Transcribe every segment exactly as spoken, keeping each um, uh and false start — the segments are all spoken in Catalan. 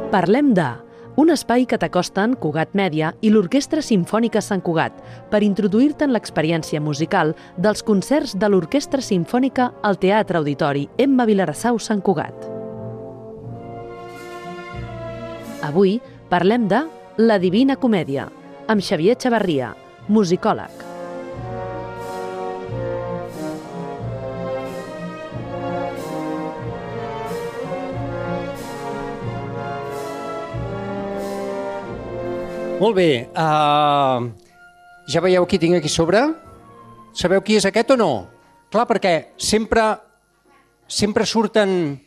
Parlem de... Un espai que t'acosta en Cugat Mèdia i l'Orquestra Simfònica Sant Cugat per introduir-te en l'experiència musical dels concerts de l'Orquestra Simfònica al Teatre Auditori Emma Vilarassau Sant Cugat. Avui parlem de La Divina Comèdia, amb Xavier Chavarria, musicòleg. Molt bé, uh, ja veieu qui tinc aquí sobre? Sabeu qui és aquest o no? Clar, perquè sempre, sempre surten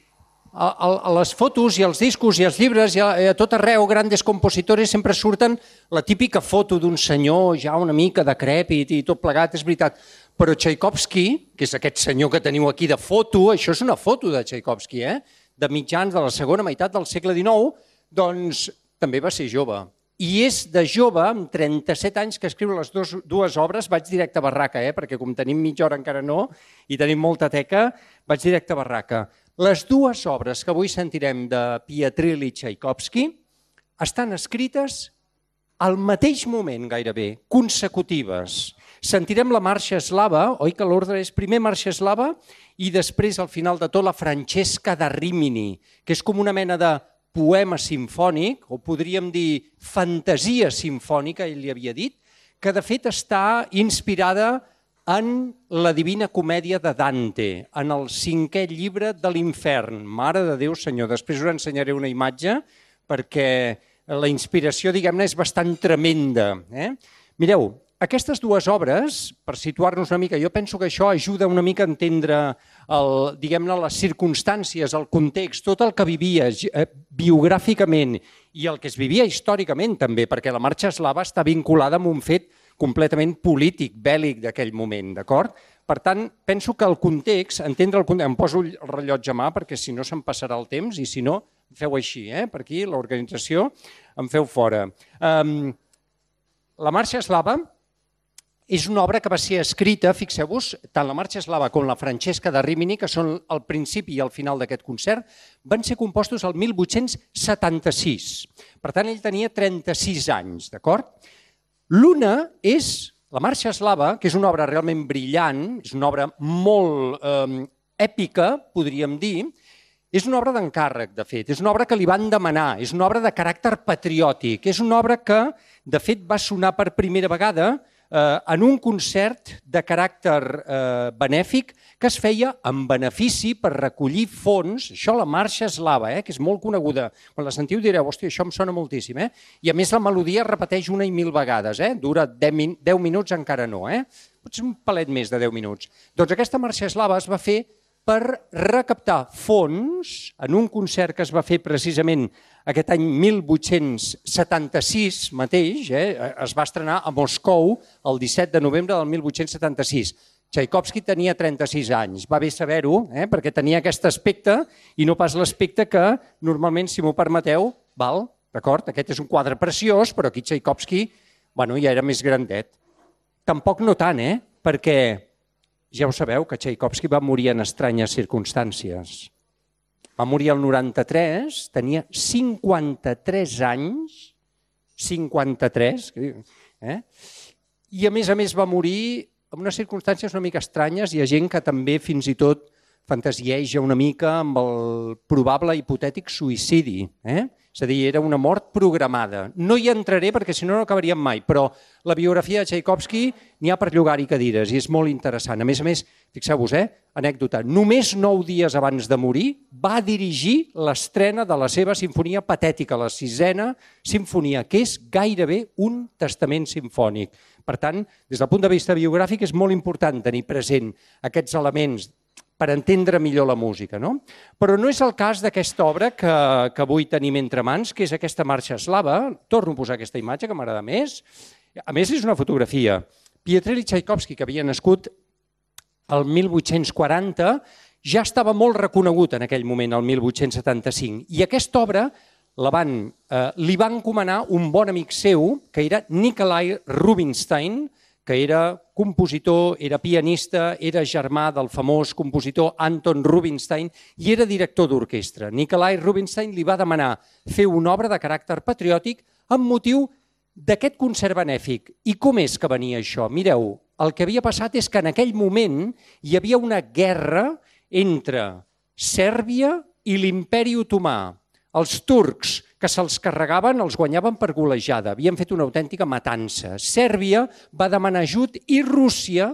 a, a, a les fotos i als discos i als llibres i a, a tot arreu, grandes compositores, sempre surten la típica foto d'un senyor ja una mica decrèpit i tot plegat, és veritat. Però Tchaikovsky, que és aquest senyor que teniu aquí de foto, això és una foto de Tchaikovsky, eh? De mitjans de la segona meitat del segle dinou, doncs també va ser jove. I és de jove, amb trenta-set anys, que escriu les dos, dues obres, vaig directe a barraca, eh? Perquè com tenim mitja hora encara no, i tenim molta teca, vaig directe a barraca. Les dues obres que avui sentirem de Pietrilj i Tchaikovsky estan escrites al mateix moment gairebé, consecutives. Sentirem la marxa eslava, oi que l'ordre és primer marxa eslava i després al final de tot la Francesca da Rimini, que és com una mena de poema simfònic, o podríem dir fantasia simfònica, ell li havia dit, que de fet està inspirada en la Divina Comèdia de Dante, en el cinquè llibre de l'Infern. Mare de Déu, senyor, després us ensenyaré una imatge perquè la inspiració, diguem-ne, és bastant tremenda. Eh? Mireu, aquestes dues obres, per situar-nos una mica, jo penso que això ajuda una mica a entendre el, diguem-ne, les circumstàncies, el context, tot el que vivia biogràficament i el que es vivia històricament també, perquè la marxa eslava està vinculada amb un fet completament polític, bèl·lic d'aquell moment, d'acord? Per tant, penso que el context, entendre el context, em poso el rellotge a mà perquè si no se'm passarà el temps i si no, feu així, eh? Per aquí, l'organització, em feu fora. Um, la marxa eslava és una obra que va ser escrita, fixeu-vos, tant la marxa eslava com la Francesca da Rimini, que són el principi i el final d'aquest concert, van ser compostos el mil vuit-cents setanta-sis. Per tant, ell tenia trenta-sis anys, d'acord? L'una és la marxa eslava, que és una obra realment brillant, és una obra molt eh, èpica, podríem dir, és una obra d'encàrrec, de fet, és una obra que li van demanar, és una obra de caràcter patriòtic, és una obra que, de fet, va sonar per primera vegada en un concert de caràcter eh, benèfic que es feia en benefici per recollir fons, això la marxa eslava, eh, que és molt coneguda. Quan la sentiu direu, hòstia, això em sona moltíssim. Eh? I a més la melodia es repeteix una i mil vegades, eh? Dura deu minuts encara no, eh? potser un palet més de deu minuts. Doncs aquesta marxa eslava es va fer per recaptar fons en un concert que es va fer precisament aquest any mil vuit-cents setanta-sis mateix, eh, es va estrenar a Moscou el disset de novembre del mil vuit-cents setanta-sis. Tchaikovsky tenia trenta-sis anys, va bé saber-ho, eh, perquè tenia aquest aspecte i no pas l'aspecte que normalment, si m'ho permeteu, val, d'acord? Aquest és un quadre preciós, però aquí Tchaikovsky bueno, ja era més grandet. Tampoc no tant, eh, perquè ja ho sabeu que Tchaikovsky va morir en estranyes circumstàncies. Va morir al noranta-tres, tenia cinquanta-tres anys, cinquanta-tres, eh? I a més a més va morir en unes circumstàncies una mica estranyes. Hi ha gent que també fins i tot fantasieja una mica amb el probable hipotètic suïcidi. Eh? És a dir, era una mort programada. No hi entraré perquè si no no acabaríem mai, però la biografia de Tchaikovsky n'hi ha per llogar-hi cadires i és molt interessant. A més a més, fixeu-vos, eh? anècdota, només nou dies abans de morir va dirigir l'estrena de la seva sinfonia patètica, la sisena sinfonia, que és gairebé un testament simfònic. Per tant, des del punt de vista biogràfic és molt important tenir present aquests elements per entendre millor la música. No? Però no és el cas d'aquesta obra que, que avui tenim entre mans, que és aquesta marxa eslava. Torno a posar aquesta imatge, que m'agrada més. A més, és una fotografia. Pietrilj Tchaikovsky, que havia nascut el mil vuit-cents quaranta, ja estava molt reconegut en aquell moment, el mil vuit-cents setanta-cinc. I aquesta obra la van, eh, li va encomanar un bon amic seu, que era Nikolai Rubinstein, que era compositor, era pianista, era germà del famós compositor Anton Rubinstein i era director d'orquestra. Nikolai Rubinstein li va demanar fer una obra de caràcter patriòtic amb motiu d'aquest concert benèfic. I com és que venia això? Mireu, el que havia passat és que en aquell moment hi havia una guerra entre Sèrbia i l'Imperi Otomà. Els turcs, que se'ls carregaven, els guanyaven per golejada. Havien fet una autèntica matança. Sèrbia va demanar ajut i Rússia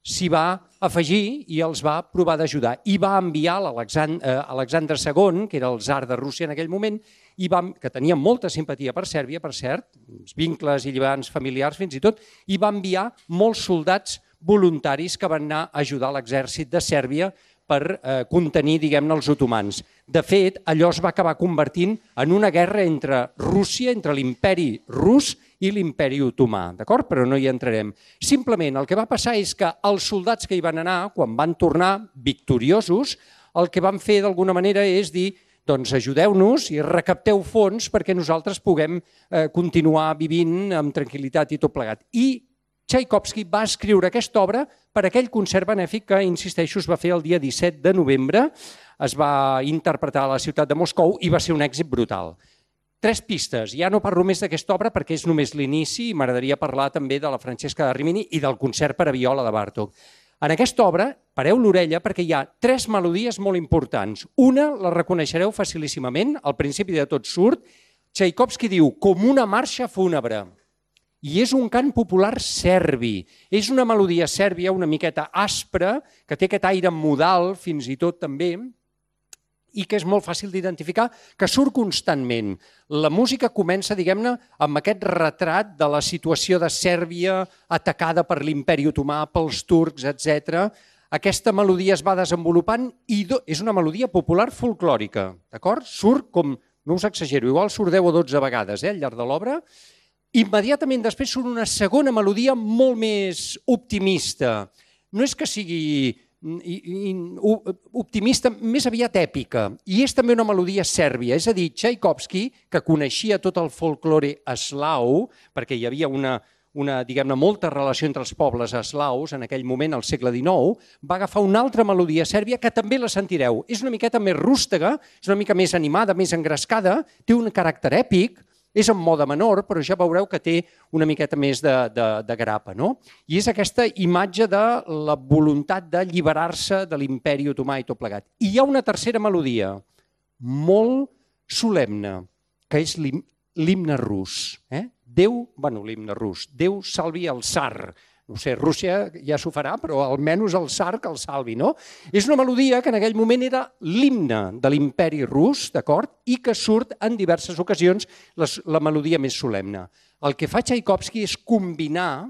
s'hi va afegir i els va provar d'ajudar. I va enviar l'Alexandre segon, que era el tsar de Rússia en aquell moment, i va, que tenia molta simpatia per Sèrbia, per cert, vincles i lligams familiars fins i tot, i va enviar molts soldats voluntaris que van anar a ajudar l'exèrcit de Sèrbia per eh, contenir, diguem-ne, els otomans. De fet, allò es va acabar convertint en una guerra entre Rússia, entre l'imperi rus i l'imperi otomà, d'acord? Però no hi entrarem. Simplement, el que va passar és que els soldats que hi van anar, quan van tornar victoriosos, el que van fer d'alguna manera és dir doncs ajudeu-nos i recapteu fons perquè nosaltres puguem eh, continuar vivint amb tranquil·litat i tot plegat. I Txaikovski va escriure aquesta obra per aquell concert benèfic que, insisteixo, es va fer el dia disset de novembre, es va interpretar a la ciutat de Moscou i va ser un èxit brutal. Tres pistes, ja no parlo més d'aquesta obra perquè és només l'inici i m'agradaria parlar també de la Francesca de Rimini i del concert per a viola de Bartók. En aquesta obra, pareu l'orella perquè hi ha tres melodies molt importants. Una la reconeixereu facilíssimament, al principi de tot surt, Txaikovski diu com una marxa fúnebre. I és un cant popular serbi. És una melodia sèrbia una miqueta aspra, que té aquest aire modal fins i tot també, i que és molt fàcil d'identificar, que surt constantment. La música comença, diguem-ne, amb aquest retrat de la situació de Sèrbia atacada per l'imperi otomà, pels turcs, etcètera. Aquesta melodia es va desenvolupant i és una melodia popular folclòrica, d'acord? Surt com, no us exagero, igual surt deu o dotze vegades eh, al llarg de l'obra. Immediatament després surt una segona melodia molt més optimista. No és que sigui optimista, més aviat èpica. I és també una melodia sèrbia. És a dir, Txaikovski, que coneixia tot el folklore eslau, perquè hi havia una, una diguem-ne, molta relació entre els pobles eslaus en aquell moment, al segle dinou, va agafar una altra melodia sèrbia que també la sentireu. És una miqueta més rústega, és una mica més animada, més engrescada, té un caràcter èpic, és en mode menor, però ja veureu que té una miqueta més de, de, de grapa. No? I és aquesta imatge de la voluntat d'alliberar-se de l'imperi otomà i tot plegat. I hi ha una tercera melodia, molt solemne, que és l'himne rus. Eh? Déu, bueno, l'himne rus, Déu salvi el tsar. No sé, Rússia ja s'ho farà, però almenys el tsar que el salvi, no? És una melodia que en aquell moment era l'himne de l'imperi rus, d'acord? I que surt en diverses ocasions la melodia més solemne. El que fa Txaikovski és combinar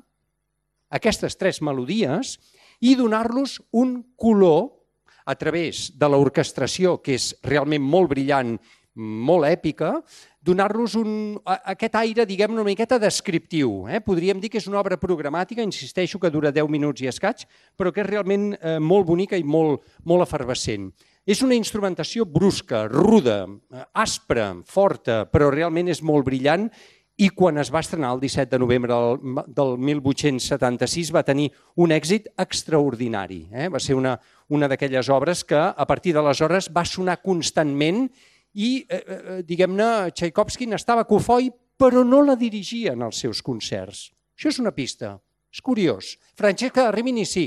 aquestes tres melodies i donar-los un color a través de l'orquestració, que és realment molt brillant, molt èpica, donar-los aquest aire, diguem-ne, una miqueta descriptiu. Eh? Podríem dir que és una obra programàtica, insisteixo que dura deu minuts i escaig, però que és realment eh, molt bonica i molt, molt efervescent. És una instrumentació brusca, ruda, aspra, forta, però realment és molt brillant i quan es va estrenar el disset de novembre del, del mil vuit-cents setanta-sis va tenir un èxit extraordinari. Eh? Va ser una, una d'aquelles obres que a partir d'aleshores va sonar constantment i, eh, diguem-ne, Txaikovski n'estava cofoi, però no la dirigia en els seus concerts. Això és una pista, és curiós. Francesca de Rimini sí,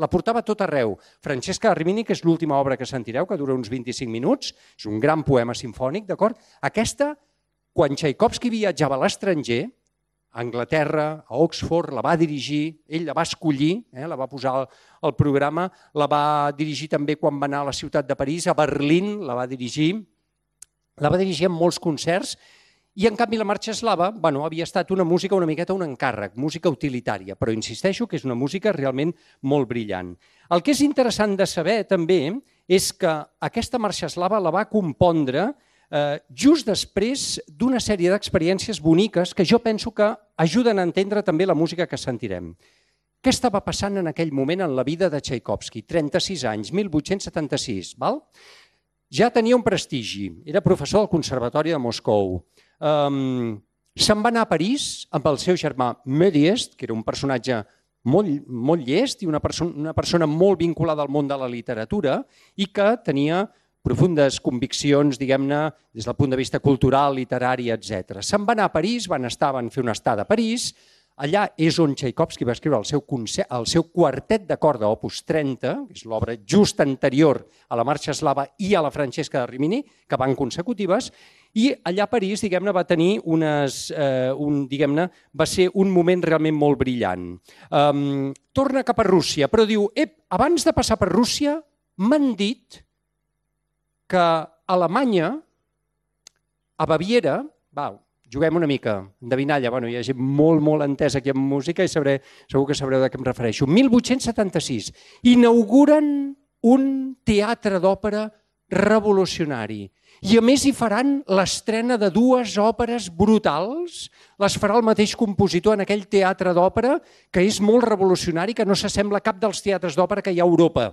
la portava tot arreu. Francesca de Rimini, que és l'última obra que sentireu, que dura uns vint-i-cinc minuts, és un gran poema simfònic, d'acord? Aquesta, quan Txaikovski viatjava a l'estranger, a Anglaterra, a Oxford, la va dirigir, ell la va escollir, eh, la va posar al, al programa, la va dirigir també quan va anar a la ciutat de París, a Berlín la va dirigir, la va dirigir en molts concerts i en canvi la marxa eslava bueno, havia estat una música una miqueta un encàrrec, música utilitària, però insisteixo que és una música realment molt brillant. El que és interessant de saber també és que aquesta marxa eslava la va compondre eh, just després d'una sèrie d'experiències boniques que jo penso que ajuden a entendre també la música que sentirem. Què estava passant en aquell moment en la vida de Txaikovski? trenta-sis anys, mil vuit-cents setanta-sis, val? Ja tenia un prestigi, era professor del Conservatori de Moscou, um, se'n va anar a París amb el seu germà Méliès, que era un personatge molt, molt llest i una, perso una persona molt vinculada al món de la literatura i que tenia profundes conviccions, diguem-ne, des del punt de vista cultural, literari, etcètera. Se'n va anar a París, van estar, van fer una estada a París. Allà és on Tchaikovsky va escriure el seu, el seu quartet de corda, opus trenta, que és l'obra just anterior a la Marxa Eslava i a la Francesca de Rimini, que van consecutives, i allà a París, diguem-ne, va tenir unes, eh, un, diguem-ne, va ser un moment realment molt brillant. Um, torna cap a Rússia, però diu, ep, abans de passar per Rússia, m'han dit que a Alemanya, a Baviera, va, juguem una mica, endevinalla, bueno, hi ha gent molt, molt entesa aquí en música i sabré, segur que sabreu de què em refereixo. mil vuit-cents setanta-sis, inauguren un teatre d'òpera revolucionari i a més hi faran l'estrena de dues òperes brutals, les farà el mateix compositor en aquell teatre d'òpera que és molt revolucionari, que no s'assembla a cap dels teatres d'òpera que hi ha a Europa.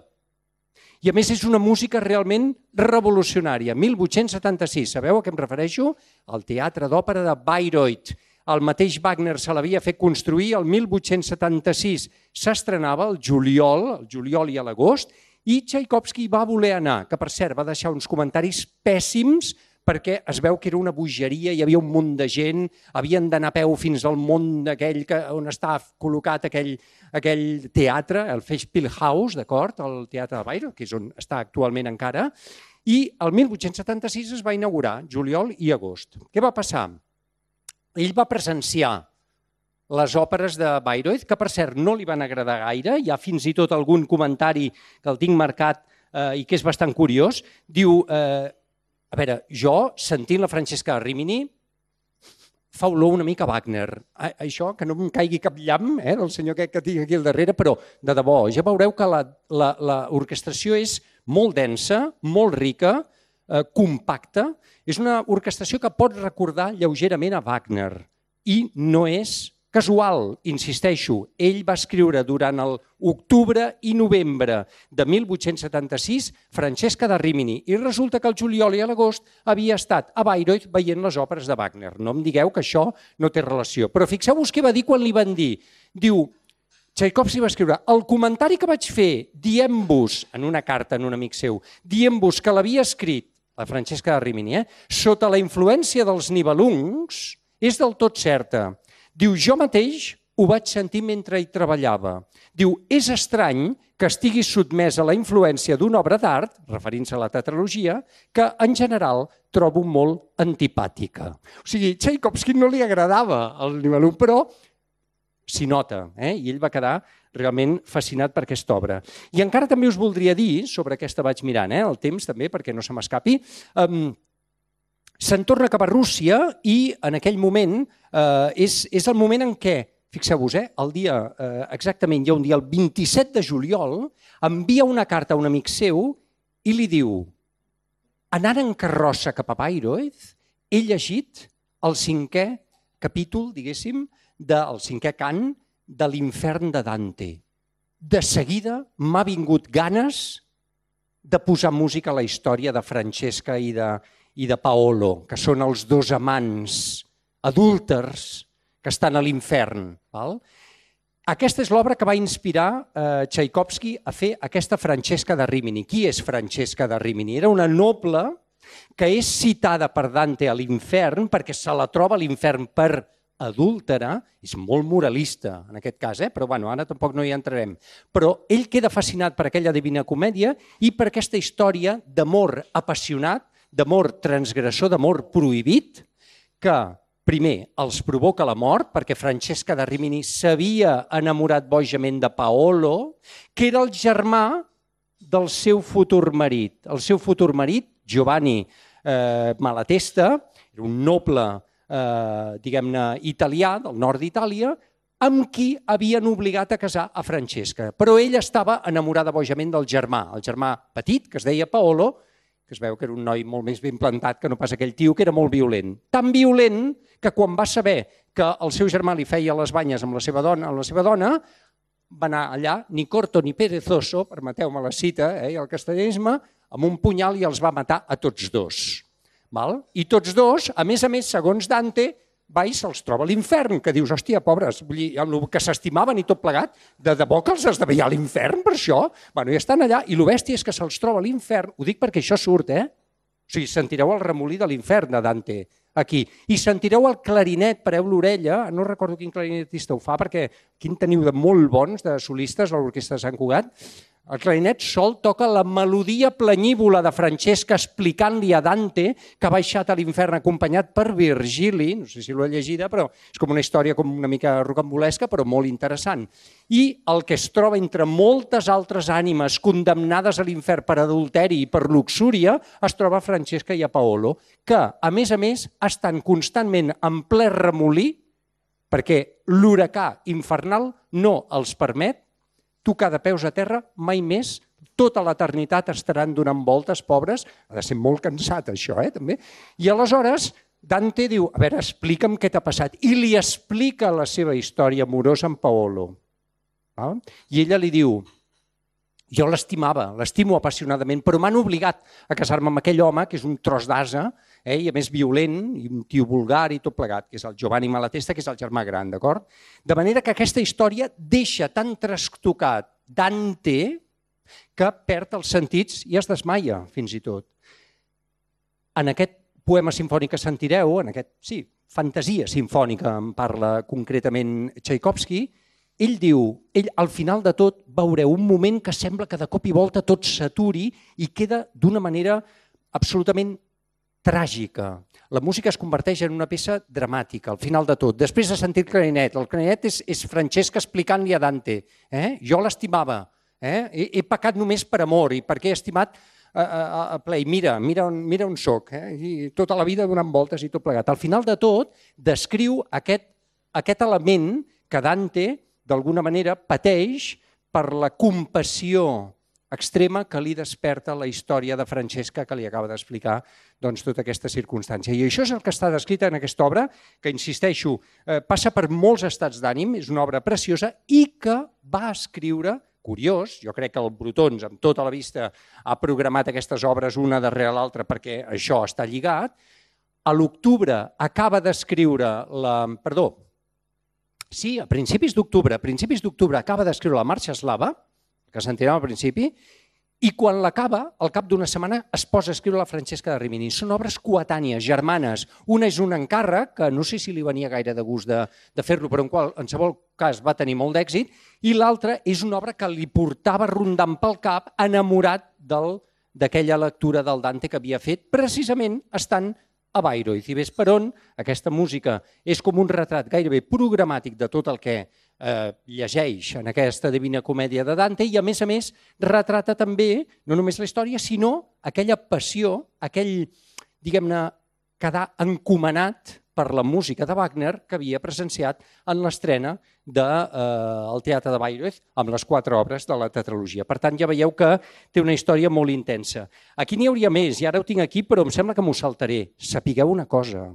I a més és una música realment revolucionària. mil vuit-cents setanta-sis, sabeu a què em refereixo? Al teatre d'òpera de Bayreuth. El mateix Wagner se l'havia fet construir, el mil vuit-cents setanta-sis s'estrenava el juliol, el juliol i a l'agost, i Tchaikovsky va voler anar, que per cert va deixar uns comentaris pèssims perquè es veu que era una bogeria, hi havia un munt de gent, havien d'anar a peu fins al món aquell on estava col·locat aquell, aquell teatre, el Festspielhaus, d'acord, el teatre de Bayreuth, que és on està actualment encara, i el mil vuit-cents setanta-sis es va inaugurar, juliol i agost. Què va passar? Ell va presenciar les òperes de Bayreuth, que per cert no li van agradar gaire, hi ha fins i tot algun comentari que el tinc marcat eh, i que és bastant curiós, diu... Eh, A veure, jo, sentint la Francesca de Rimini, fa olor una mica Wagner. Això, que no em caigui cap llamp, eh, del senyor que, que tinc aquí al darrere, però de debò, ja veureu que l'orquestració és molt densa, molt rica, eh, compacta. És una orquestració que pot recordar lleugerament a Wagner i no és casual, insisteixo. Ell va escriure durant l'octubre i novembre de mil vuit-cents setanta-sis Francesca de Rimini i resulta que el juliol i l'agost havia estat a Bayreuth veient les òperes de Wagner. No em digueu que això no té relació. Però fixeu-vos què va dir quan li van dir. Diu, Tchaikovsky va escriure, el comentari que vaig fer dient-vos, en una carta en un amic seu, dient-vos que l'havia escrit, la Francesca de Rimini, eh, sota la influència dels Nibelungs, és del tot certa. Diu, jo mateix ho vaig sentir mentre hi treballava. Diu, és estrany que estiguis sotmès a la influència d'una obra d'art, referint-se a la tetralogia, que en general trobo molt antipàtica. O sigui, Tchaikovsky no li agradava el Nibelung, però s'hi nota, eh? I ell va quedar realment fascinat per aquesta obra. I encara també us voldria dir, sobre aquesta vaig mirant, eh? El temps també, perquè no se m'escapi, um, se'n torna cap a Rússia i en aquell moment eh, és, és el moment en què, fixeu-vos, eh, el dia, eh, exactament hi ha un dia, el vint-i-set de juliol, envia una carta a un amic seu i li diu, anant en carrossa cap a Bayreuth, he llegit el cinquè capítol, diguéssim, del cinquè cant de l'Infern de Dante. De seguida m'ha vingut ganes de posar música a la història de Francesca i de i de Paolo, que són els dos amants adúlters que estan a l'infern. Aquesta és l'obra que va inspirar eh, Tchaikovsky a fer aquesta Francesca de Rimini. Qui és Francesca de Rimini? Era una noble que és citada per Dante a l'infern perquè se la troba a l'infern per adúltera, és molt moralista en aquest cas, eh? Però bueno, ara tampoc no hi entrarem. Però ell queda fascinat per aquella Divina Comèdia i per aquesta història d'amor apassionat, d'amor transgressor, d'amor prohibit, que primer els provoca la mort, perquè Francesca de Rimini s'havia enamorat bojament de Paolo, que era el germà del seu futur marit. El seu futur marit, Giovanni eh, Malatesta, era un noble, eh, diguem-ne, italià, del nord d'Itàlia, amb qui havien obligat a casar a Francesca. Però ella estava enamorada bojament del germà, el germà petit, que es deia Paolo, que es veu que era un noi molt més ben plantat que no pas aquell tio, que era molt violent. Tan violent que quan va saber que el seu germà li feia les banyes amb la seva dona, amb la seva dona va anar allà, ni corto ni perezoso, permeteu-me la cita, eh, el castellanisme, amb un punyal i els va matar a tots dos. Val? I tots dos, a més a més, segons Dante, va i se'ls troba a l'infern, que dius, hòstia, pobres, vull dir, amb el que s'estimaven i tot plegat, de debò que els esdeveia a l'infern per això? Bueno, i estan allà, i el bèstia és que se'ls troba a l'infern, ho dic perquè això surt, eh? O sigui, sentireu el remolí de l'infern de Dante, aquí. I sentireu el clarinet, pareu l'orella, no recordo quin clarinetista ho fa, perquè quin teniu de molt bons, de solistes, a l'Orquestra de Sant Cugat. El clarinet sol toca la melodia planyívola de Francesca explicant-li a Dante que ha baixat a l'infern acompanyat per Virgili, no sé si l'ho he llegida, però és com una història com una mica rocambolesca, però molt interessant. I el que es troba entre moltes altres ànimes condemnades a l'infern per adulteri i per luxúria, es troba a Francesca i a Paolo, que, a més a més, estan constantment en ple remolí perquè l'huracà infernal no els permet tocar de peus a terra mai més, tota l'eternitat estaran donant voltes, pobres, ha de ser molt cansat això, eh, també. I aleshores Dante diu, a veure, explica'm què t'ha passat, i li explica la seva història amorosa amb Paolo. I ella li diu, jo l'estimava, l'estimo apassionadament, però m'han obligat a casar-me amb aquell home, que és un tros d'ase, eh, i a més violent, i un tio vulgar i tot plegat, que és el Giovanni Malatesta, que és el germà gran, d'acord? De manera que aquesta història deixa tan trastocat Dante que perd els sentits i es desmaia, fins i tot. En aquest poema simfònic que sentireu, en aquest, sí, fantasia simfònica, en parla concretament Tchaikovsky, ell diu, ell al final de tot veureu un moment que sembla que de cop i volta tot s'aturi i queda d'una manera absolutament tràgica. La música es converteix en una peça dramàtica al final de tot. Després de sentir el clarinet, el clarinet és, és Francesca explicant-li a Dante, eh? Jo l'estimava, eh? he, he pecat només per amor i perquè he estimat a, a, a ple. Mira, mira on, mira on soc, eh? I tota la vida donant voltes i tot plegat. Al final de tot descriu aquest, aquest element que Dante d'alguna manera pateix per la compassió extrema que li desperta la història de Francesca que li acaba d'explicar doncs, tota aquesta circumstància. I això és el que està descrit en aquesta obra, que, insisteixo, eh, passa per molts estats d'ànim, és una obra preciosa i que va escriure, curiós, jo crec que el Brotons, amb tota la vista, ha programat aquestes obres una darrere l'altra perquè això està lligat. A l'octubre acaba d'escriure la... Perdó, sí, a principis d'octubre, a principis d'octubre acaba d'escriure la Marxa Eslava, que sentirem al principi, i quan l'acaba, al cap d'una setmana, es posa a escriure la Francesca de Rimini. Són obres coetànies, germanes. Una és un encàrrec, que no sé si li venia gaire de gust de, de fer-lo, però en qualsevol cas va tenir molt d'èxit, i l'altra és una obra que li portava rondant pel cap, enamorat d'aquella lectura del Dante que havia fet, precisament estant a Bayreuth. I ves per on aquesta música és com un retrat gairebé programàtic de tot el que eh, llegeix en aquesta Divina Comèdia de Dante i, a més a més, retrata també no només la història, sinó aquella passió, aquell, diguem-ne, quedar encomanat per la música de Wagner que havia presenciat en l'estrena del eh, Teatre de Bayreuth amb les quatre obres de la tetralogia. Per tant, ja veieu que té una història molt intensa. Aquí n'hi hauria més, i ara ho tinc aquí, però em sembla que m'ho saltaré. Sapigueu una cosa,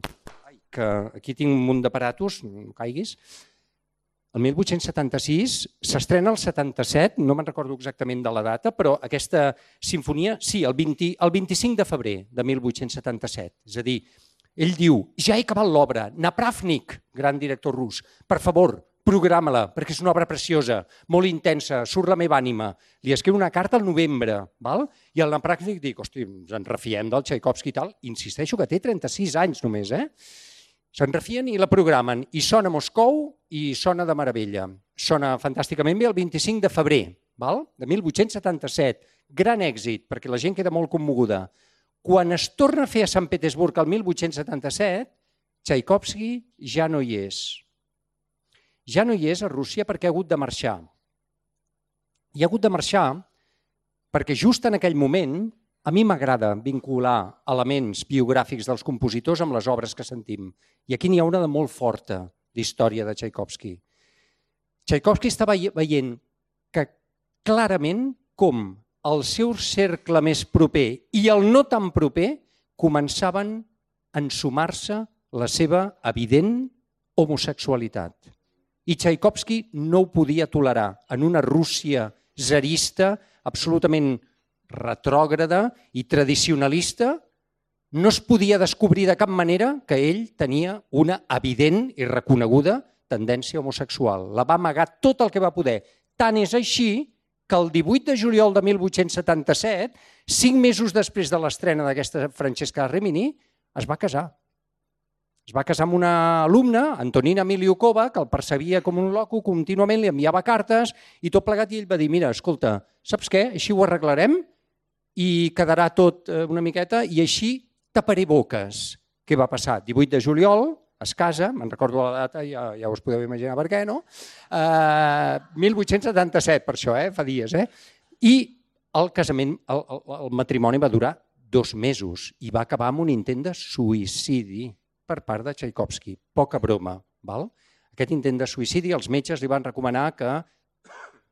ai, que aquí tinc un munt d'aparatos, no caiguis. El mil vuit-cents setanta-sis s'estrena el setanta-set, no me'n recordo exactament de la data, però aquesta sinfonia, sí, el, vint, el vint-i-cinc de febrer de mil vuit-cents setanta-set, és a dir, ell diu, ja he acabat l'obra, Napravnik, gran director rus, per favor, programa-la, perquè és una obra preciosa, molt intensa, surt la meva ànima. Li escriu una carta al novembre, val? I el Napravnik dic, hosti, ens en refiem del Tchaikovsky i tal, insisteixo que té trenta-sis anys només, eh? Se'n refien i la programen, i sona a Moscou i sona de meravella. Sona fantàsticament bé el vint-i-cinc de febrer, val? De mil vuit-cents setanta-set, gran èxit, perquè la gent queda molt commoguda. Quan es torna a fer a Sant Petersburg el mil vuit-cents setanta-set, Tchaikovsky ja no hi és. Ja no hi és a Rússia perquè ha hagut de marxar. I ha hagut de marxar perquè just en aquell moment a mi m'agrada vincular elements biogràfics dels compositors amb les obres que sentim. I aquí n'hi ha una de molt forta d'història de Tchaikovsky. Tchaikovsky estava veient que clarament com el seu cercle més proper i el no tan proper començaven a ensumar-se la seva evident homosexualitat. I Tchaikovsky no ho podia tolerar en una Rússia zarista absolutament retrògrada i tradicionalista, no es podia descobrir de cap manera que ell tenia una evident i reconeguda tendència homosexual. La va amagar tot el que va poder. Tant és així que el divuit de juliol de mil vuit-cents setanta-set, cinc mesos després de l'estrena d'aquesta Francesca Rimini, es va casar. Es va casar amb una alumna, Antonina Miliukova, que el percebia com un loco, contínuament li enviava cartes i tot plegat, i ell va dir, mira, escolta, saps què? Així ho arreglarem i quedarà tot una miqueta i així taparé boques. Què va passar? divuit de juliol, es casa, me'n recordo la data, ja, ja us podeu imaginar per què, no? Uh, mil vuit-cents setanta-set, per això, eh? Fa dies, eh? I el casament, el, el, el matrimoni va durar dos mesos i va acabar amb un intent de suïcidi per part de Tchaikovsky. Poca broma, val? Aquest intent de suïcidi, els metges li van recomanar que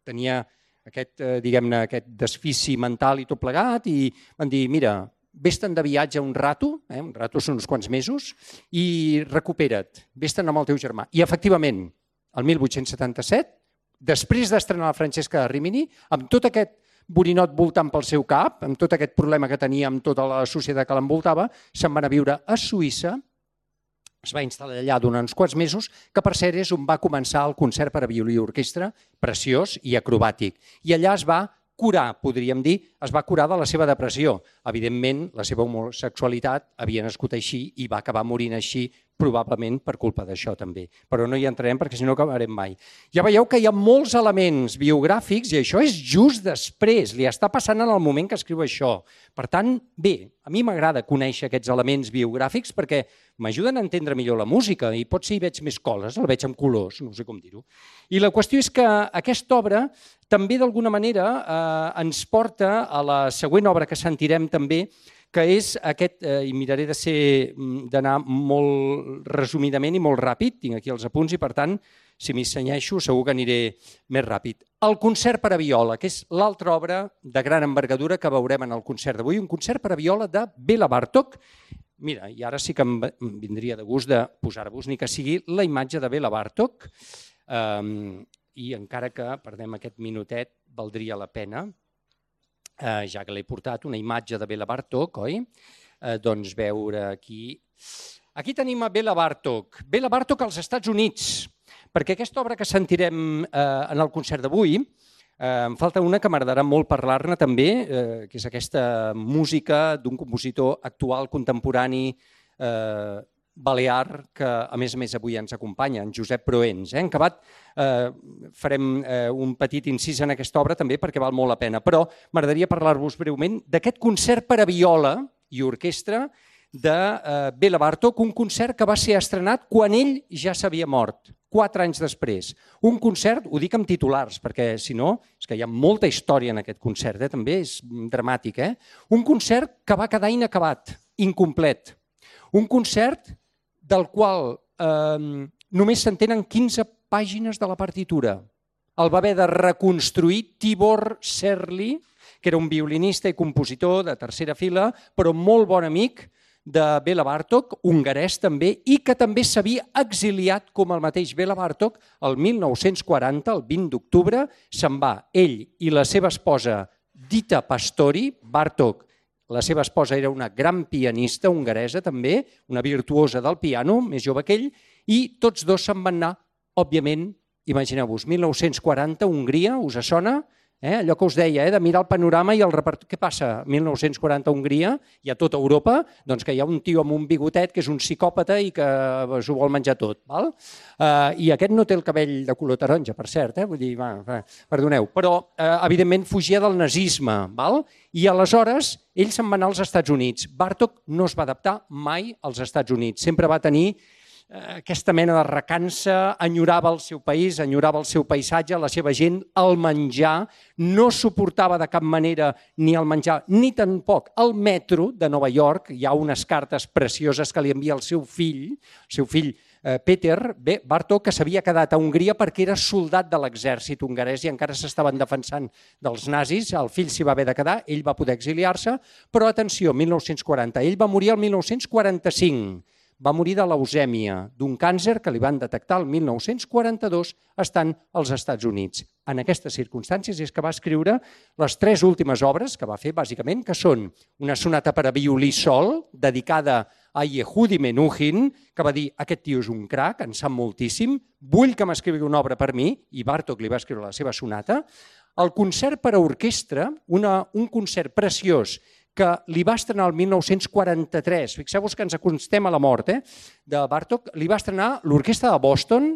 tenia aquest, eh, diguem-ne, aquest desfici mental i tot plegat i van dir, mira, vés-te'n de viatge un rato, eh, un rato són uns quants mesos, i recupera't, vés-te'n amb el teu germà. I efectivament, el mil vuit-cents setanta-set, després d'estrenar la Francesca Rimini, amb tot aquest borinot voltant pel seu cap, amb tot aquest problema que tenia amb tota la societat que l'envoltava, se'n van a viure a Suïssa, es va instal·lar allà durant uns quants mesos, que per cert és on va començar el concert per a violí i orquestra, preciós i acrobàtic. I allà es va curar, podríem dir, es va curar de la seva depressió. Evidentment, la seva homosexualitat havia nascut així i va acabar morint així, probablement per culpa d'això també. Però no hi entrarem perquè si no acabarem mai. Ja veieu que hi ha molts elements biogràfics i això és just després, li està passant en el moment que escriu això. Per tant, bé, a mi m'agrada conèixer aquests elements biogràfics perquè m'ajuden a entendre millor la música i potser hi veig més coses, la veig amb colors, no sé com dir-ho. I la qüestió és que aquesta obra també d'alguna manera eh, ens porta a la següent obra que sentirem també, que és aquest, eh, i miraré de ser d'anar molt resumidament i molt ràpid, tinc aquí els apunts i per tant, si m'hi senyeixo segur que aniré més ràpid. El concert per a viola, que és l'altra obra de gran envergadura que veurem en el concert d'avui, un concert per a viola de Béla Bartók. Mira, i ara sí que em vindria de gust de posar-vos ni que sigui la imatge de Béla Bartók, um, i encara que perdem aquest minutet, valdria la pena, Uh, ja que l'he portat, una imatge de Béla Bartók, oi? Uh, doncs veure aquí... Aquí tenim a Béla Bartók. Béla Bartók als Estats Units, perquè aquesta obra que sentirem uh, en el concert d'avui, uh, em falta una que m'agradarà molt parlar-ne també, uh, que és aquesta música d'un compositor actual, contemporani, uh, balear, que a més a més avui ens acompanya, en Josep Proens. Eh? En acabat eh, farem eh, un petit incís en aquesta obra també perquè val molt la pena, però m'agradaria parlar-vos breument d'aquest concert per a viola i orquestra de eh, Béla Bartók, un concert que va ser estrenat quan ell ja s'havia mort, quatre anys després. Un concert, ho dic amb titulars, perquè si no, és que hi ha molta història en aquest concert, eh? També és dramàtic. Eh? Un concert que va quedar inacabat, incomplet. Un concert del qual eh, només s'entenen quinze pàgines de la partitura. El va haver de reconstruir Tibor Serli, que era un violinista i compositor de tercera fila, però molt bon amic de Béla Bartók, hongarès també, i que també s'havia exiliat com el mateix Béla Bartók el mil nou-cents quaranta, el vint d'octubre, se'n va ell i la seva esposa Dita Pastori. Bartók, la seva esposa era una gran pianista hongaresa també, una virtuosa del piano, més jove que ell, i tots dos se'n van anar, òbviament, imagineu-vos, mil nou-cents quaranta, Hongria, us sona? Eh? Allò que us deia, eh? De mirar el panorama i el repertori. Què passa? mil nou-cents quaranta, Hongria, i a tota Europa, doncs que hi ha un tio amb un bigotet que és un psicòpata i que s'ho vol menjar tot. Val? Uh, I aquest no té el cabell de color taronja, per cert, eh? Vull dir, va, va, perdoneu, però uh, evidentment fugia del nazisme, val? I aleshores ell se'n va anar als Estats Units. Bartók no es va adaptar mai als Estats Units, sempre va tenir aquesta mena de recança, enyorava el seu país, enyorava el seu paisatge, la seva gent, el menjar, no suportava de cap manera ni el menjar ni tampoc el metro de Nova York. Hi ha unes cartes precioses que li envia el seu fill, el seu fill Peter Bartók, que s'havia quedat a Hongria perquè era soldat de l'exèrcit hongarès i encara s'estaven defensant dels nazis. El fill s'hi va haver de quedar, ell va poder exiliar-se, però atenció, mil nou-cents quaranta, ell va morir el mil nou-cents quaranta-cinc. va morir de leucèmia, d'un càncer que li van detectar el mil nou-cents quaranta-dos estant als Estats Units. En aquestes circumstàncies és que va escriure les tres últimes obres que va fer, bàsicament, que són una sonata per a violí sol, dedicada a Yehudi Menuhin, que va dir, aquest tio és un crac, en sap moltíssim, vull que m'escrigui una obra per mi, i Bartók li va escriure la seva sonata. El concert per a orquestra, una, un concert preciós, que li va estrenar el mil nou-cents quaranta-tres, fixeu-vos que ens acostem a la mort, eh, de Bartók, li va estrenar l'Orquestra de Boston,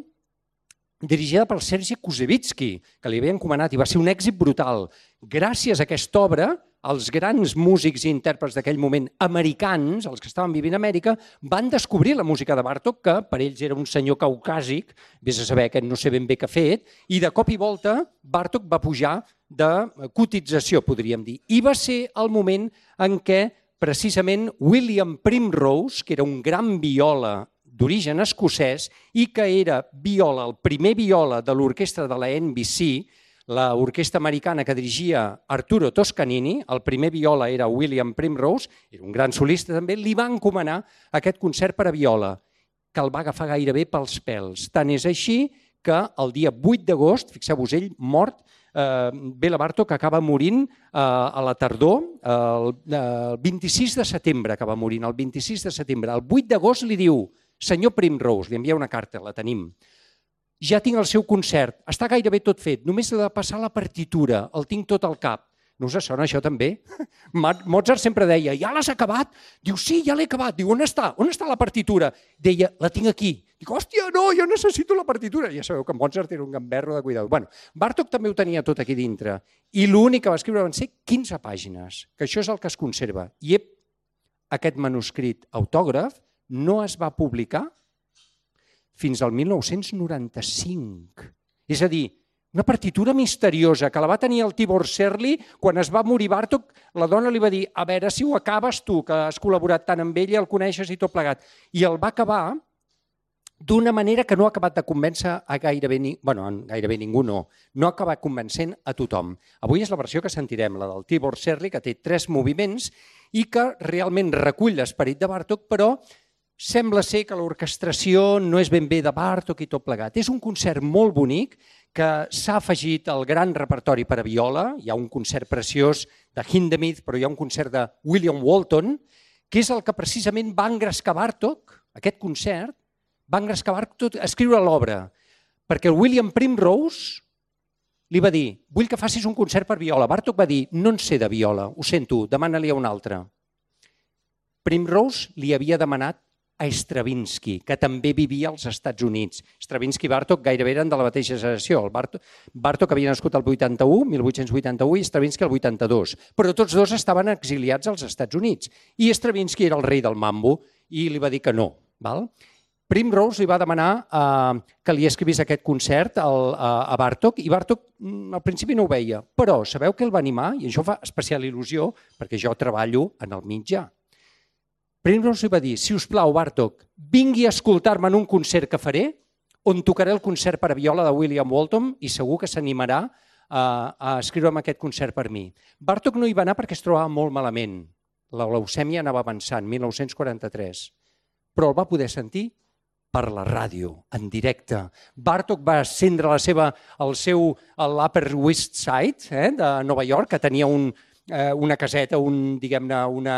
dirigida per Sergei Kouzevitsky, que li havia encomanat, i va ser un èxit brutal. Gràcies a aquesta obra, els grans músics i intèrprets d'aquell moment americans, els que estaven vivint a Amèrica, van descobrir la música de Bartók, que per ells era un senyor caucàsic, vés a saber que no sé ben bé què ha fet, i de cop i volta Bartók va pujar de cotització, podríem dir. I va ser el moment en què precisament William Primrose, que era un gran viola d'origen escocès i que era viola, el primer viola de l'orquestra de la N B C, l'orquestra americana que dirigia Arturo Toscanini, el primer viola era William Primrose, era un gran solista també, li va encomanar aquest concert per a viola, que el va agafar gairebé pels pèls. Tant és així que el dia vuit d'agost, fixeu-vos, ell mort, eh, Béla Bartók acaba morint eh, a la tardor, eh, el, el vint-i-sis de setembre acaba morint, el vint-i-sis de setembre. El vuit d'agost li diu, senyor Primrose, li envia una carta, la tenim, ja tinc el seu concert, està gairebé tot fet, només he de passar la partitura, el tinc tot al cap. No us sona això també? Mozart sempre deia, ja l'has acabat? Diu, sí, ja l'he acabat. Diu, on està? On està la partitura? Deia, la tinc aquí. Dic, hòstia, no, jo necessito la partitura. Ja sabeu que Mozart era un gamberro de cuidado. Bueno, Bartók també ho tenia tot aquí dintre. I l'únic que va escriure van ser quinze pàgines, que això és el que es conserva. I ep, aquest manuscrit autògraf no es va publicar fins al mil nou-cents noranta-cinc. És a dir, una partitura misteriosa que la va tenir el Tibor Serli quan es va morir Bartók. La dona li va dir, a veure si ho acabes tu, que has col·laborat tant amb ella, el coneixes i tot plegat. I el va acabar d'una manera que no ha acabat de convèncer a gairebé, ni... bueno, gairebé ningú, no. No ha acabat convencent a tothom. Avui és la versió que sentirem, la del Tibor Serli, que té tres moviments i que realment recull l'esperit de Bartók, però sembla ser que l'orquestració no és ben bé de Bartók i tot plegat. És un concert molt bonic que s'ha afegit al gran repertori per a viola. Hi ha un concert preciós de Hindemith, però hi ha un concert de William Walton, que és el que precisament va engrescar Bartók, aquest concert, va engrescar Bartók a escriure l'obra, perquè el William Primrose li va dir, vull que facis un concert per viola. Bartók va dir, no en sé de viola, ho sento, demana-li a un altre. Primrose li havia demanat a Stravinsky, que també vivia als Estats Units. Stravinsky i Bartók gairebé eren de la mateixa generació. El Bartók, Bartók havia nascut el vuitanta-u, mil vuit-cents vuitanta-u, i Stravinsky el vuitanta-dos. Però tots dos estaven exiliats als Estats Units. I Stravinsky era el rei del mambo i li va dir que no. Val? Primrose li va demanar eh, que li escrivís aquest concert al, a, a Bartók i Bartók al principi no ho veia. Però sabeu què el va animar? I això fa especial il·lusió perquè jo treballo en el mitjà. Primrose li va dir, si us plau, Bartók, vingui a escoltar-me en un concert que faré on tocaré el concert per a viola de William Walton i segur que s'animarà a, a escriure'm aquest concert per mi. Bartók no hi va anar perquè es trobava molt malament. La leucèmia anava avançant, mil nou-cents quaranta-tres. Però el va poder sentir per la ràdio, en directe. Bartók va ascendre la seva, el seu l'Upper West Side eh, de Nova York, que tenia un, eh, una caseta, un, diguem-ne, una...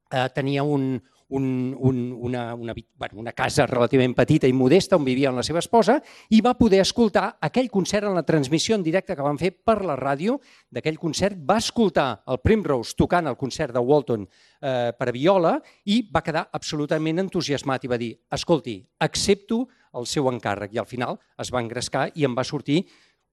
Uh, tenia un, un, un, una, una, bueno, una casa relativament petita i modesta on vivia amb la seva esposa i va poder escoltar aquell concert en la transmissió en directe que van fer per la ràdio d'aquell concert. Va escoltar el Primrose tocant el concert de Walton eh, per a viola i va quedar absolutament entusiasmat i va dir, escolti, accepto el seu encàrrec. I al final es va engrescar i em va sortir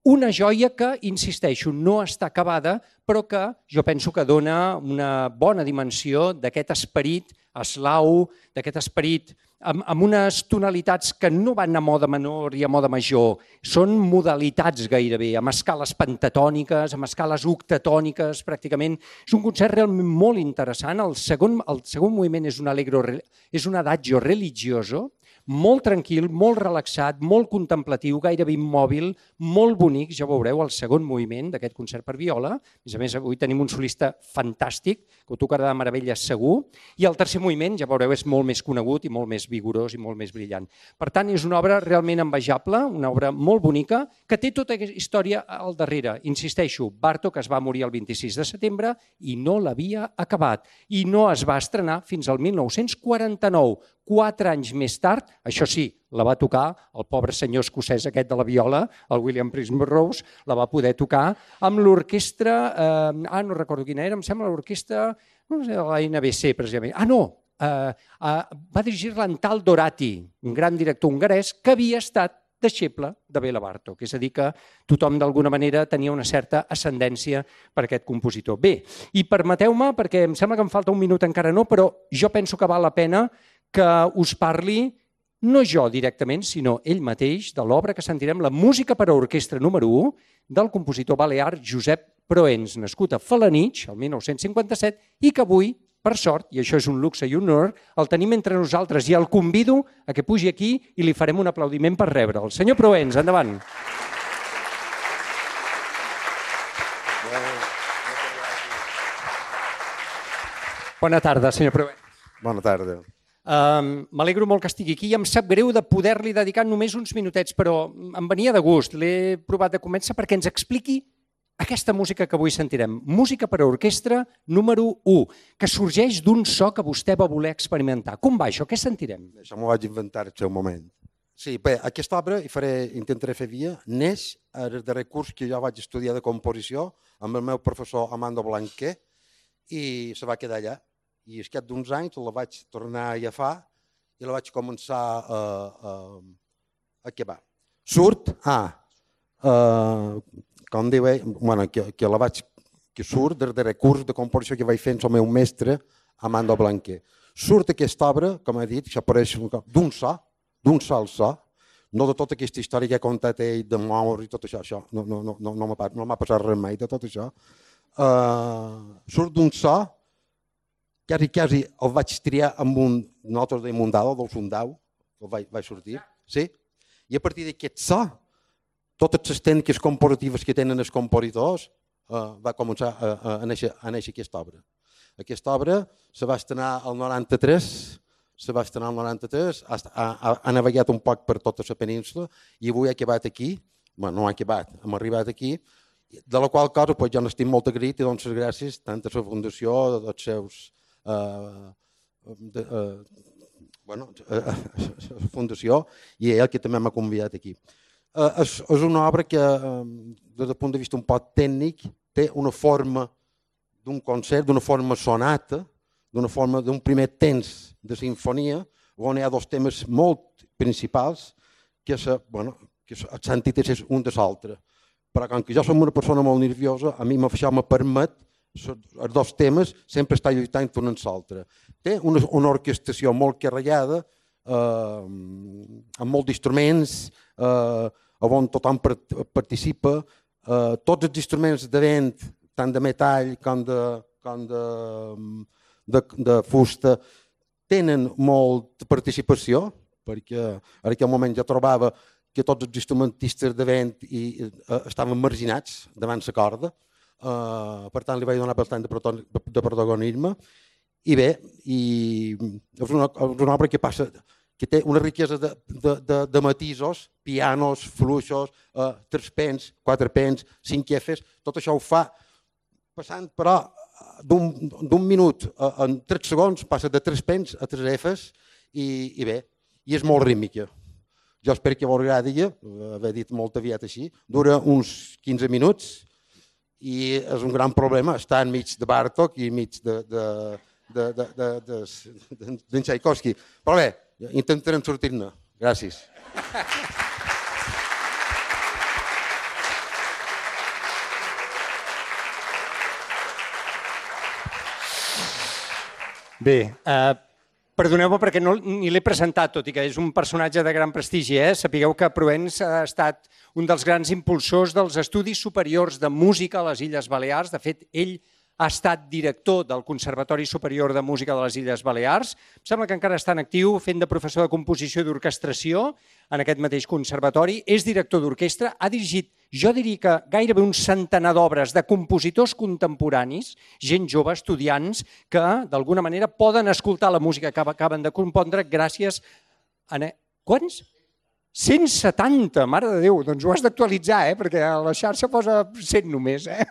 una joia que, insisteixo, no està acabada, però que jo penso que dona una bona dimensió d'aquest esperit eslau, d'aquest esperit amb, amb unes tonalitats que no van a moda menor i a moda major. Són modalitats gairebé, amb escales pentatòniques, amb escales octatòniques, pràcticament. És un concert realment molt interessant. El segon, el segon moviment és un allegro, és un adagio religioso, molt tranquil, molt relaxat, molt contemplatiu, gairebé immòbil, molt bonic, ja veureu el segon moviment d'aquest concert per viola. A més a més, avui tenim un solista fantàstic, que ho tocarà de meravella segur, i el tercer moviment, ja veureu, és molt més conegut i molt més vigorós i molt més brillant. Per tant, és una obra realment envejable, una obra molt bonica, que té tota aquesta història al darrere. Insisteixo, Bartók es va morir el vint-i-sis de setembre i no l'havia acabat. I no es va estrenar fins al mil nou-cents quaranta-nou. Quatre anys més tard, això sí, la va tocar el pobre senyor escocès aquest de la viola, el William Primrose, la va poder tocar amb l'orquestra, eh, ah, no recordo quina era, em sembla l'orquestra, no sé, de la N B C, precisament. Ah, no, eh, eh, va dirigir-la en Tal Dorati, un gran director hongarès que havia estat deixeble de Béla Bartók, és a dir que tothom d'alguna manera tenia una certa ascendència per aquest compositor. Bé, i permeteu-me, perquè em sembla que em falta un minut encara no, però jo penso que val la pena que us parli, no jo directament, sinó ell mateix, de l'obra que sentirem, la música per a orquestra número u, del compositor balear Josep Proens, nascut a Felanitx, el mil nou-cents cinquanta-set, i que avui, per sort, i això és un luxe i un honor, el tenim entre nosaltres i el convido a que pugi aquí i li farem un aplaudiment per rebre'l. Senyor Proens, endavant. Bona tarda, senyor Proens. Bona tarda. Um, M'alegro molt que estigui aquí i em sap greu de poder-li dedicar només uns minutets, però em venia de gust. L'he provat de començar perquè ens expliqui aquesta música que avui sentirem. Música per a orquestra número u, que sorgeix d'un so que vostè va voler experimentar. Com va això? Què sentirem? Això m'ho vaig inventar al seu moment. Sí, bé, aquesta obra, i faré, intentaré fer via, neix al darrer curs que jo vaig estudiar de composició amb el meu professor Amando Blanquer i se va quedar allà. I al cap d'uns anys la vaig tornar a agafar i la vaig començar a, a, a acabar. Surt, ah, uh, com diu ell, bueno, que, que la vaig, que surt del darrer curs de composició que vaig fer amb el meu mestre, Amando Blanquer. Surt aquesta obra, com he dit, que apareix d'un so, d'un sol so, no de tota aquesta història que ha contat ell de moure i tot això, això no, no, no, no, no m'ha passat res mai de tot això. Uh, surt d'un so, quasi, quasi el vaig triar amb un nosaltres de Mundau, del Fundau, el vaig, vaig sortir, sí? I a partir d'aquest so, totes les tècniques compositives que tenen els compositors, uh, va començar a, a, a, néixer, a néixer aquesta obra. Aquesta obra se va estrenar al noranta-tres, se va estrenar al noranta-tres, ha, ha, ha navegat un poc per tota la península i avui ha acabat aquí, bueno, no ha acabat, hem arribat aquí, de la qual cosa pues, jo n'estic molt agraït i dono les gràcies tant a la Fundació, als seus Uh, de, uh, bueno, uh, la Fundació i ell que també m'ha convidat aquí. Uh, és, és una obra que, uh, des del punt de vista un poc tècnic, té una forma d'un concert, d'una forma sonata, d'una forma d'un primer temps de sinfonia, on hi ha dos temes molt principals que, se, bueno, que s'antítesi un de l'altre. Però com que jo som una persona molt nerviosa, a mi això me permet els dos temes sempre està lluitant un amb l'altre. Té una, una orquestació molt carregada, eh, amb molts d'instruments, eh, on tothom participa. Eh, tots els instruments de vent, tant de metall com de, com de, de, de fusta, tenen molta participació, perquè en aquell moment jo trobava que tots els instrumentistes de vent i, eh, estaven marginats davant la corda. Uh, per tant li vaig donar bastant de, de protagonisme i bé, i és una, és una obra que passa, que té una riquesa de, de, de, de matisos, pianos, fluixos, uh, tres pens, quatre pens, cinc efes, tot això ho fa passant però d'un minut uh, en tres segons passa de tres pens a tres efes i, i bé, i és molt rítmica. Jo espero que vos agradi, haver dit molt aviat així, dura uns quinze minuts i és un gran problema estar enmig de Bartók i enmig de, de, de, de, de, de, de, d'en Tchaikovsky. Però bé, intentarem sortir-ne. Gràcies. Bé, eh, perdoneu-me perquè no, ni l'he presentat, tot i que és un personatge de gran prestigi. Eh? Sapigueu que Proens ha estat un dels grans impulsors dels estudis superiors de música a les Illes Balears. De fet, ell ha estat director del Conservatori Superior de Música de les Illes Balears. Em sembla que encara està en actiu fent de professor de composició i d'orquestració en aquest mateix conservatori. És director d'orquestra, ha dirigit, jo diria que gairebé un centenar d'obres de compositors contemporanis, gent jove, estudiants, que d'alguna manera poden escoltar la música que acaben de compondre gràcies a... Quants? cent setanta, mare de Déu, doncs ho has d'actualitzar, eh? Perquè a la xarxa posa cent només, eh?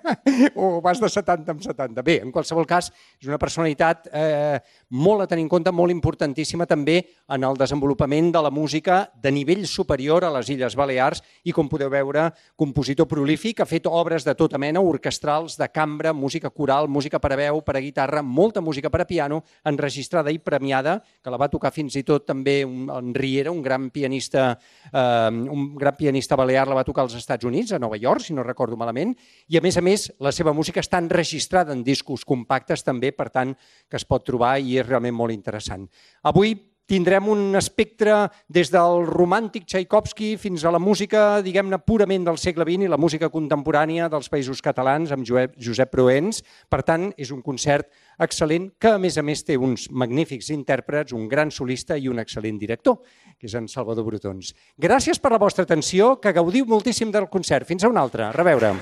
O vas de setanta en setanta. Bé, en qualsevol cas, és una personalitat eh, molt a tenir en compte, molt importantíssima també en el desenvolupament de la música de nivell superior a les Illes Balears i, com podeu veure, compositor prolífic, ha fet obres de tota mena, orquestrals, de cambra, música coral, música per a veu, per a guitarra, molta música per a piano, enregistrada i premiada, que la va tocar fins i tot també en Riera, un gran pianista Uh, un gran pianista balear, la va tocar als Estats Units, a Nova York, si no recordo malament, i a més a més la seva música està enregistrada en discos compactes també, per tant, que es pot trobar i és realment molt interessant. Avui tindrem un espectre des del romàntic Tchaikovsky fins a la música, diguem-ne, purament del segle vint i la música contemporània dels Països Catalans amb Josep Proens. Per tant, és un concert excel·lent que, a més a més, té uns magnífics intèrprets, un gran solista i un excel·lent director, que és en Salvador Brotons. Gràcies per la vostra atenció, que gaudiu moltíssim del concert. Fins a una altra. A reveure.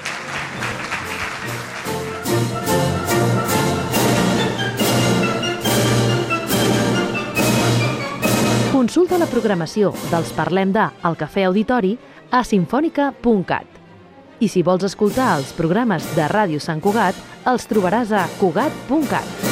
Consulta la programació dels Parlem de al Cafè Auditori a sinfònica punt cat. I si vols escoltar els programes de Ràdio Sant Cugat, els trobaràs a cugat punt cat.